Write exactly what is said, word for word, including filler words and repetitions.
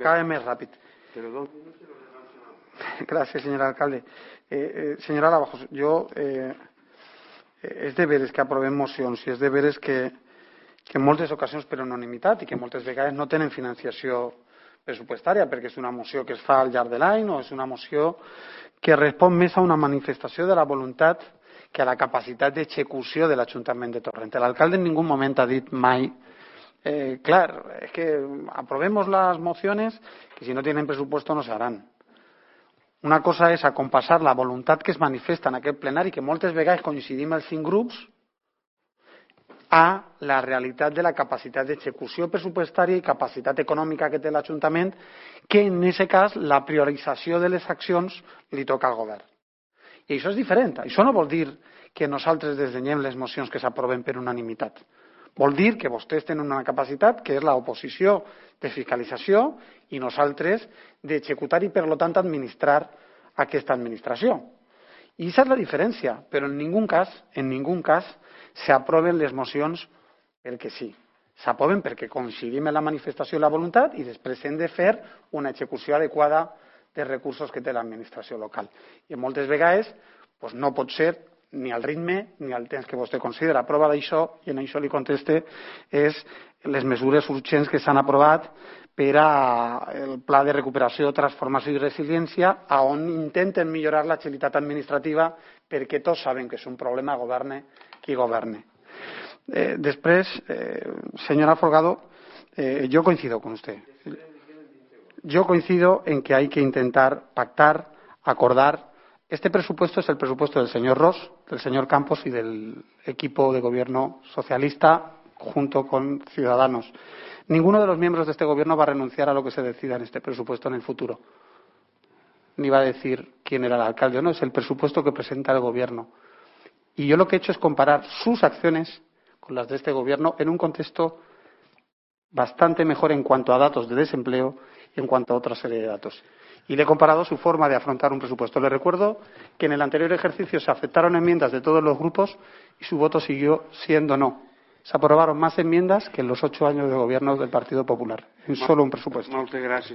Cada vez més ràpid. Gràcies, senyor alcalde. Eh, eh, senyora Lavajos, jo, eh, és de veres que aprovem mocions i és de veres que, que en moltes ocasions per unanimitat i que moltes vegades no tenen financiació pressupostària perquè és una moció que es fa al llarg de l'any o és una moció que respon més a una manifestació de la voluntat que a la capacitat d'execució de l'Ajuntament de Torrent. L'alcalde en ningú moment ha dit mai eh, clar, es que aprobemos las mociones que si no tienen presupuesto no se harán. Una cosa és acompassar la voluntat que es manifesta en aquest plenari, que moltes vegades coincidim els cinc grups, a la realitat de la capacitat d'execució pressupostària i capacitat econòmica que té l'Ajuntament, que en aquest cas la priorització de les accions li toca al govern. I això és diferent. Això no vol dir que nosaltres desdenyem les mocions que s'aproven per unanimitat. Vol dir que vostès tenen una capacitat que és l'oposició de fiscalització i nosaltres d'executar i, per tant, administrar aquesta administració. I aquesta és la diferència, però en ningú cas, en ningú cas s'aproven les mocions perquè sí. S'aproven perquè coincidim en la manifestació i la voluntat i després hem de fer una execució adequada dels recursos que té l'administració local. I moltes vegades doncs, no pot ser ni al ritme ni al temps que vostè considera. Prova d'això, i en això li conteste, és les mesures urgents que s'han aprovat per al Pla de Recuperació, Transformació i Resiliència, on intenten millorar l'agilitat administrativa perquè tots saben que és un problema, governe qui governe. Eh, després, eh, señora Folgado, eh, yo coincido con usted. Yo coincido en que hay que intentar pactar, acordar. Este presupuesto es el presupuesto del señor Ross, del señor Campos y del equipo de gobierno socialista junto con Ciudadanos. Ninguno de los miembros de este gobierno va a renunciar a lo que se decida en este presupuesto en el futuro. Ni va a decir quién era el alcalde o no, es el presupuesto que presenta el gobierno. Y yo lo que he hecho es comparar sus acciones con las de este gobierno en un contexto bastante mejor en cuanto a datos de desempleo y en cuanto a otra serie de datos. Y le he comparado su forma de afrontar un presupuesto. Le recuerdo que en el anterior ejercicio se aceptaron enmiendas de todos los grupos y su voto siguió siendo no. Se aprobaron más enmiendas que en los ocho años de gobierno del Partido Popular, en solo un presupuesto. Moltes gràcies.